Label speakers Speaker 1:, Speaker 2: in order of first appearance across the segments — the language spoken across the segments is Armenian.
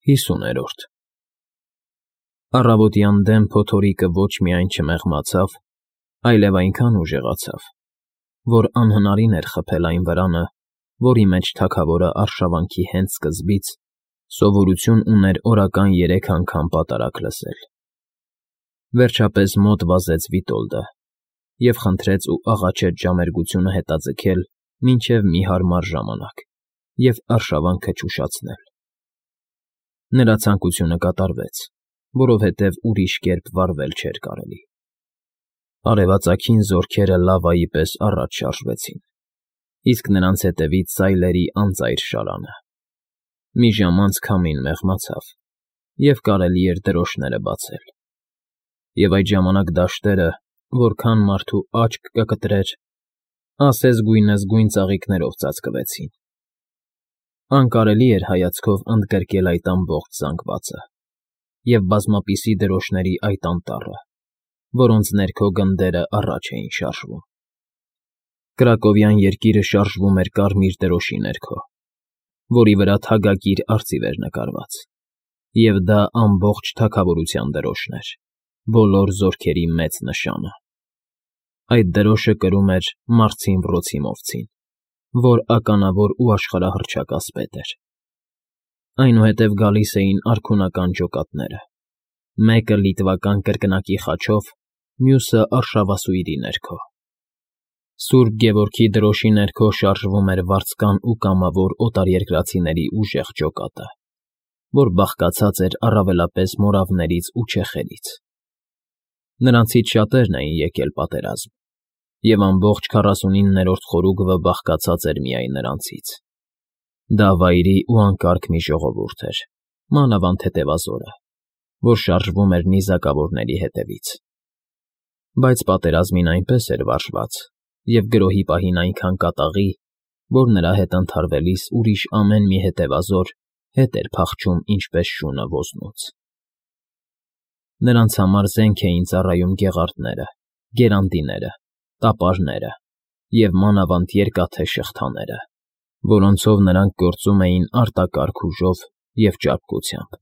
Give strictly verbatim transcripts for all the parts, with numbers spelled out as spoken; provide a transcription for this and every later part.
Speaker 1: Հիսուներորդ Առավոտյան դեմ փոթորիկը ոչ միայն չմեղմացավ, այլև այնքան ուժեղացավ, որ անհնարին էր խփել այն վրանը, որի մեջ թագավորը արշավանքի հենց սկզբից սովորություն ուներ օրական երեք անգամ պատարակ լսել։ Վերջապես մոտ վազեց Վիտոլդը և խնդրեց ու աղաչեց ժամերգությունը հետաձգել մինչև մի հարմար ժամանակ և արշավանքը չուշացնել։ Նրա ցանկությունը կատարվեց, որովհետև ուրիշ կերպ վարվել չէր կարելի։ Արևածագին զորքերը լավայի պես առաջ շարժվեցին, իսկ նրանց հետևից սայլերի անծայր շարանը։ Մի ժամ անց քամին մեղմացավ, և կարելի էր դրոշները բացել։ Եվ այդ ժամանակ դաշտերը, որքան մարդու աչք կկտրեր, ասես գույնզգույն ծաղիկներով ծածկվեցին։ Անկարելի էր հայացքով ընդգրկել այդ ամբողջ զանգվածը և բազմապիսի դրոշների այդ անտառը, որոնց ներքո գնդերը առաջ էին շարժվում։ Կրակովյան երկիրը շարժվում էր կարմիր դրոշի ներքո, որի վրա թագակիր արծիվ էր նկարված, և դա ամբողջ թագավորության դրոշն էր, բոլոր զորքերի մեծ նշանը։ Այդ դրոշը կրում էր Մարցին Վրոցիմովցին, որ ականավոր ու աշխարհահռչակ ասպետ էր։ Այնուհետև գալիս էին արքունական ջոկատները, մեկը լիտվական կրկնակի խաչով, մյուսը արշավասույրի ներքո։ Սուրբ Գևորգի դրոշի ներքո շարժվում էր վարձկան ու կամավոր օտարերկրացիների ուժեղ ջոկատը, որ բաղկացած էր առավելապես մորավներից ու չեխերից։ Նրանցից շատերն էին եկել պատերազմ, և ամբողջ քառասունիններորդ խորուգվը բաղկացած էր միայն նրանցից։ Դա վայրի ու անկարգ մի ժողովուրդ էր, մանավանդ հետևազորը, որ շարժվում էր նիզակավորների հետևից։ Բայց պատերազմին այնպես էր վարժված և գրոհի պահին այնքան կատաղի, որ նրա հետ ընդհարվելիս ուրիշ ամեն մի հետևազոր հետ էր փախչում ինչպես շունը ոզնուց։ Նրանց համար զենք էին ծառայում գեղարդները, գերանդիները, տապարները և մանավանդ երկաթե շղթաները, որոնցով նրանք գործում էին արտակարգ ուժով և ճարպկությամբ։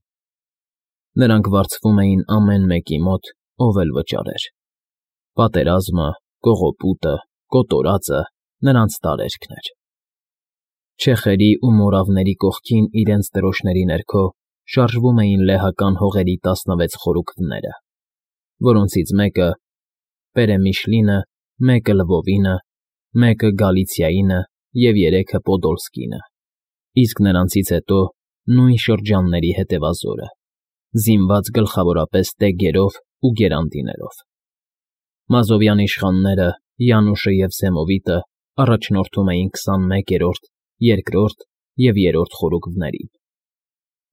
Speaker 1: Նրանք վարձվում էին ամեն մեկի մոտ, ով էլ վճարեր։ Պատերազմը, կողոպուտը, կոտորածը նրանց տարերքն էր։ Չեխերի ու մորավների կողքին իրենց դրոշների ներքո շարժվում էին լեհական հողերի տասնվեց խորուգվները, որոնցից մեկը Պերեմիշլինը, մեկը Լվովինը, մեկը Գալիցիայինը և երեքը Պոդոլսկինը, իսկ նրանցից հետո նույն շրջանների հետևազորը, զինված գլխավորապես տեգերով ու գերանդիներով։ Մազովյան իշխանները, Յանուշը և Զեմովիտը առաջնորդում էին քսանմեկերորդ, երկրորդ և երրորդ խորուգվներին։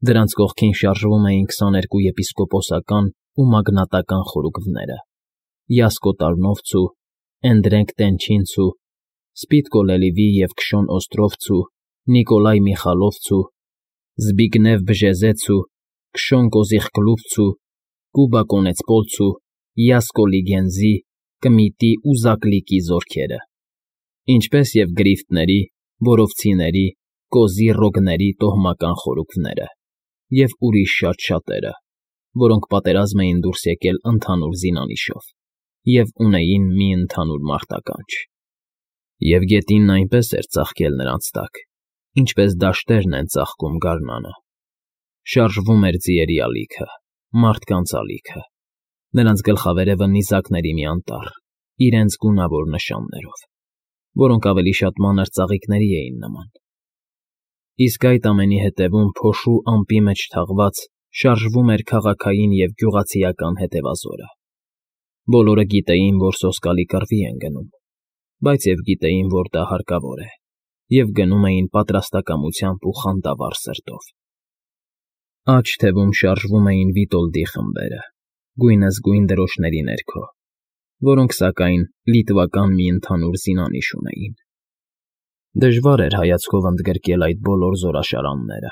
Speaker 1: Դրանց կողքին շարժվում էին քսաներկու եպիսկոպոսական ու մագնատական խորուգվները՝ Յասկո Տարնովցու, Էնդրենք Տենչինցու, Սպիտկո Լելիվի և Քշոն Օստրովցու, Նիկոլայ Միխալովցու, Զբիգնև Բժեզեցու, Քշոն Կոզիխկլուբցու, Կուբա Կոնեցպոլցու, Յասկո Լիգենզի, Կմիտի ու Զակլիկի զորքերը, ինչպես և գրիֆտների, որովցիների, կոզի ռոգների տոհմական խորուգվները և ուրիշ շատ շատերը, որոնք պատերազմ էին դուրս եկել ընդհանուր զինանիշով և ունեին մի ընդհանուր մարտականջ։ Եվ գետինն այնպես էր ծաղկել նրանց տակ, ինչպես դաշտերն են ծաղկում գարնանը։ Շարժվում էր ձիերի ալիքը, մարդկանց ալիքը, նրանց գլխավերևը նիզակների մի անտառ, իրենց գունավոր նշաններով, որոնք ավելի շատ մանր ծաղիկների էին նման։ Իսկ այդ ամենի հետևում փոշու ամպի մեջ թաղված շարժվում էր քաղաքային և գյուղացիական հետևազորը։ Բոլորը գիտեին, որ սոսկալի կռվի են գնում, բայց և գիտեին, որ դա հարկավոր է, և գնում էին պատրաստակամությամբ ու խանդավառ սրտով։ Աջ թևում շարժվում էին Վիտոլդի խմբերը, գույնզգույն դրոշների ներքո, որոնք, սակայն, լիտվական մի ընդհանուր զինանիշ ունեին։ Դժվար էր հայացքով ընդգրկել այդ բոլոր զորաշարանները,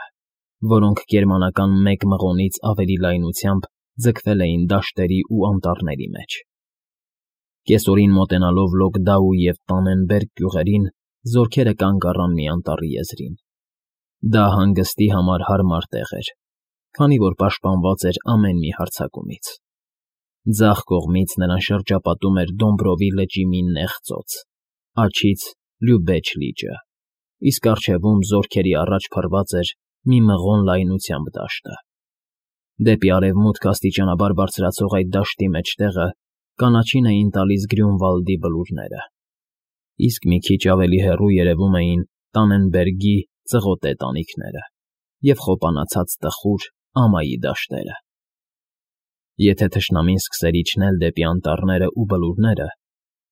Speaker 1: որոնք գերմանական մեկ մղոնից ավելի լայնությամբ ձգվել էին դաշտերի ու անտառների մեջ։ Կեսօրին մոտենալով Լոգդաու և Տանենբերգ գյուղերին, զորքերը կանգ առան մի անտառի եզրին։ Դա հանգստի համար հարմար տեղ էր, քանի որ պաշտպանված էր ամեն մի հարձակումից։ Ձախ կողմից նրան շրջապատում էր Դոմբրովի լճի մի նեղ ծոց, աջից Լյուբեջ լիճը, իսկ առջևում զորքերի առաջ փռված էր մի մղոն լայնությամբ դաշտը։ Դեպի արևմուտք աստիճանաբար բարձրացող այդ դաշտի մեջտեղը կանաչին էին տալիս Գրյունվալդի բլուրները, իսկ մի քիչ ավելի հեռու երևում էին Տանենբերգի ծղոտե տանիքները և խոպանացած տխուր ամայի դաշտերը։ Եթե թշնամին սկսեր իջնել դեպի անտառները ու բլուրները,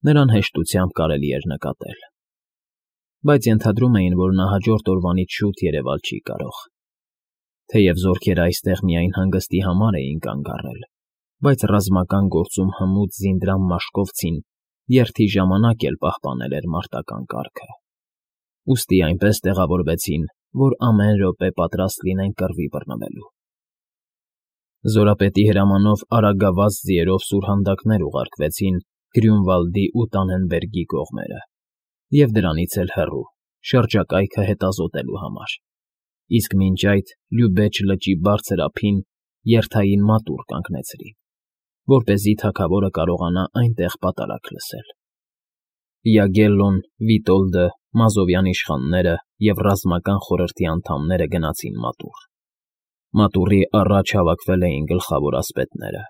Speaker 1: նրան հեշտությամբ կարելի էր նկատել։ Բայց ենթադրում էին, որ նա հաջորդ օրվանից շուտ երևալ չի կարող։ Թեև զորքերը այստեղ միայն հանգստի համար էին կանգ առել, բայց ռազմական գործում հմուտ Զինդրամ Մաշկովցին երթի ժամանակ էլ պահպանել էր մարտական կարգը։ Ուստի այնպես տեղավորվեցին, որ ամեն րոպե պատրաստ լինեն կռվի բռնվելու։ Զորապետի հրամանով արագավազ ձիերով սուրհանդակներ ուղարկվեցին Գրյունվալդի ու Տանենբերգի կողմերը, և դրանից էլ հեռու, շրջակայքը հետազոտելու համար, իսկ մինչ այդ Լյուբեջ լճի բարձր ափին երթային մատուռ կանգնեցրին, որպեսզի թագավորը կարողանա այնտեղ պատարակ լսել։ Յագելլոն, Վիտոլդը, Մազովյան իշխանները և ռազմական խորհրդի անդամները գնացին մատուռ։ Մատուռի առաջ հավաքվել էին գլխավոր ասպետները,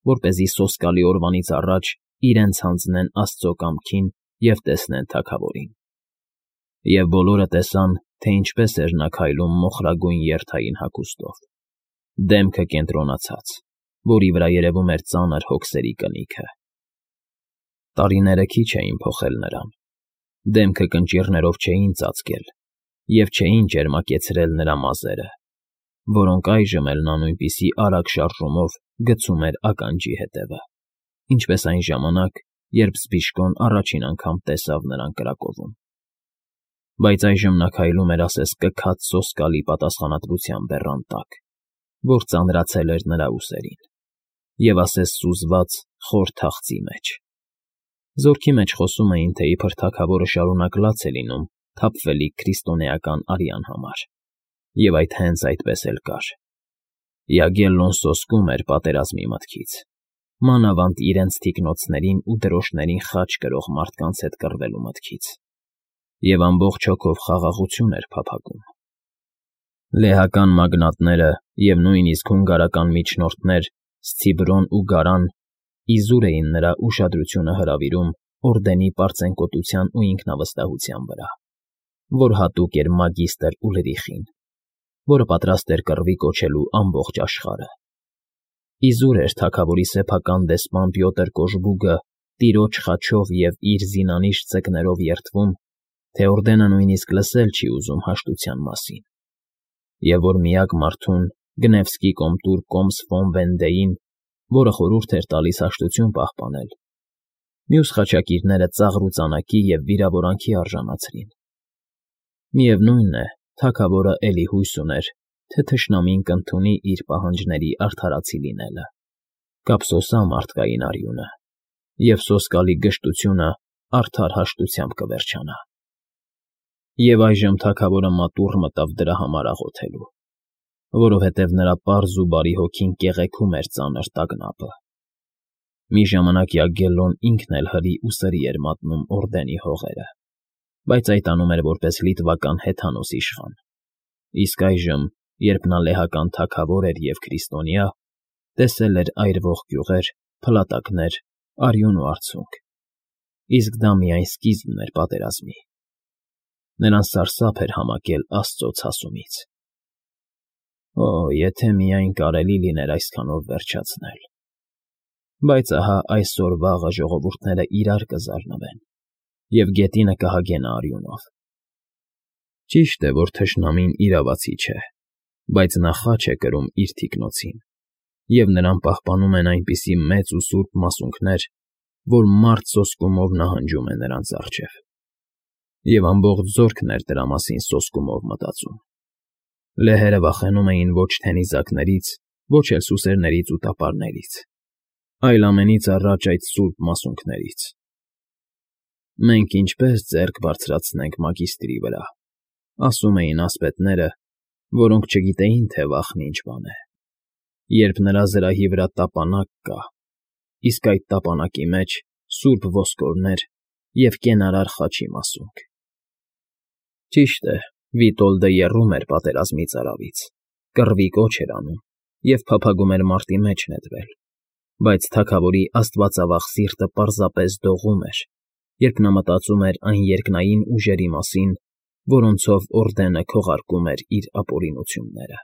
Speaker 1: որպեսզի սոսկալի օրվանից առաջ իրենց հանձնեն Աստծո կամքին և տեսնեն թագավորին։ Եվ բոլորը տեսան, թե ինչպես էր նա քայլում մոխրագույն երթային հագուստով, դեմքը կենտրոնացած, որի վրա երևում էր ծանր հոգսերի կնիքը։ Տարիները քիչ էին փոխել նրան, դեմքը կնճիռներով չէին ծածկել և չէին ճերմակեցրել նրա մազերը, որոնք այժմ էլ նա նույնպիսի արագ շարժումով գցում էր ականջի հետևը, ինչպես այն ժամանակ, երբ Զբիշկոն առաջին անգամ տեսավ նրան կրակովում։ Բայց այժմ նա քայլում էր ասես կքած սոսկալի պատասխանատվության բեռան տակ, որ ծանրացել էր նրա ուսերին, և ասես սուզված խոր թախծի մեջ։ Զորքի մեջ խոսում էին, թե իբր թագավորը շարունակ լաց է լինում թափվելիք քրիստոնեական արյան համար, և այդ հենց այդպես էլ կար։ Յագելլոն սոսկում էր պատերազմի մտքից, մանավանդ իրենց թիկնոցներին ու դրոշներին խաչ կրող մարդկանց հետ կռվելու մտքից, և ամբողջ հոգով խաղաղություն էր փափագում։ Լեհական մագնատները և նույնիսկ հունգարական միջնորդներ Սցիբրոն ու Գարան իզուր էին նրա ուշադրությունը հրավիրում օրդենի պարծենկոտության ու ինքնավստահության վրա, որ հատուկ էր մագիստր Ուլրիխին, որը պատրաստ էր կռվի կոչելու ամբողջ աշխարհը։ Իզուր էր թագավորի սեփական դեսպան Պյոտր Կոժբուգը տիրոջ խաչով և իր զինանիշ ծեկներով երդվում, թե օրդենը նույնիսկ լսել չի ուզում հաշտության մասին, և որ միակ մարդուն Գնևսկի կոմտուր Կոմս ֆոն Վենդեին, որը խորհուրդ էր տալիս հաշտություն պահպանել, մյուս խաչակիրները ծաղր ու ծանակի և վիրավորանքի արժանացրին։ Միևնույն է, թագավորը էլի հույս ուներ, թե թշնամին կընդունի իր պահանջների արդարացի լինելը, կափսոսա մարդկային արյունը, և սոսկալի գժտությունը արդար հաշտությամբ կվերջանա։ Եվ այժմ թագավորը մատուռ մտավ դրա համար աղոթելու, որովհետև նրա պարզ ու բարի հոգին կեղեքում էր ծանր տագնապը։ Մի ժամանակ Յագելլոն ինքն էլ հրի ու սրի էր մատնում օրդենի հողերը, բայց այդ անում էր որպես լիտվական հեթանոս իշխան, իսկ այժմ, երբ նա լեհական թագավոր էր և քրիստոնյա, տեսել էր այրվող գյուղեր, փլատակներ, արյուն ու արցունք, իսկ դա միայն սկիզբն էր պատերազմի։ Նրան սարսափ էր համակել Աստծո ցասումից։ Օ, եթե միայն կարելի լիներ այսքանով վերջացնել։ Բայց ահա այսօր֊վաղը ժողովուրդները իրար կզարնվեն, և գետինը կհագենա արյունով։ Ճիշտ է, որ թշնամին իրավացի չէ, բայց նա խաչ է կրում իր թիկնոցին, և նրան պահպանում են այնպիսի մեծ ու սուրբ մասունքներ, որ մարդ սոսկումով նահանջում է նրանց առջև, և ամբողջ զորքն էր դրա մասին սոսկումով մտածում։ Լեհերը վախենում էին ոչ թե նիզակներից, ոչ էլ սուսերներից ու տապարներից, այլ ամենից առաջ այդ սուրբ մասունքներից։ «Մենք ինչպե՞ս ձեռք բարձրացնենք մագիստրի վրա», ասում էին ասպետները, որոնք չգիտեին, թե վախն ինչ բան է։ երբ նրա զրահի վրա տապանակ կա, իսկ այդ տապանակի մեջ սուրբ ոսկորներ և կենարար խաչի մասունք։ Ճիշտ է, Վիտոլդը եռում էր պատերազմից արավից, կռվի կոչ էր անում և փափագում էր մարտի մեջ նետվել, բայց թագավորի աստվածավախ սիրտը պարզապես դողում էր, երբ նա մտածում էր այն երկնային ուժերի մասին, որոնցով Օրդենը քողարկում էր իր ապօրինությունները։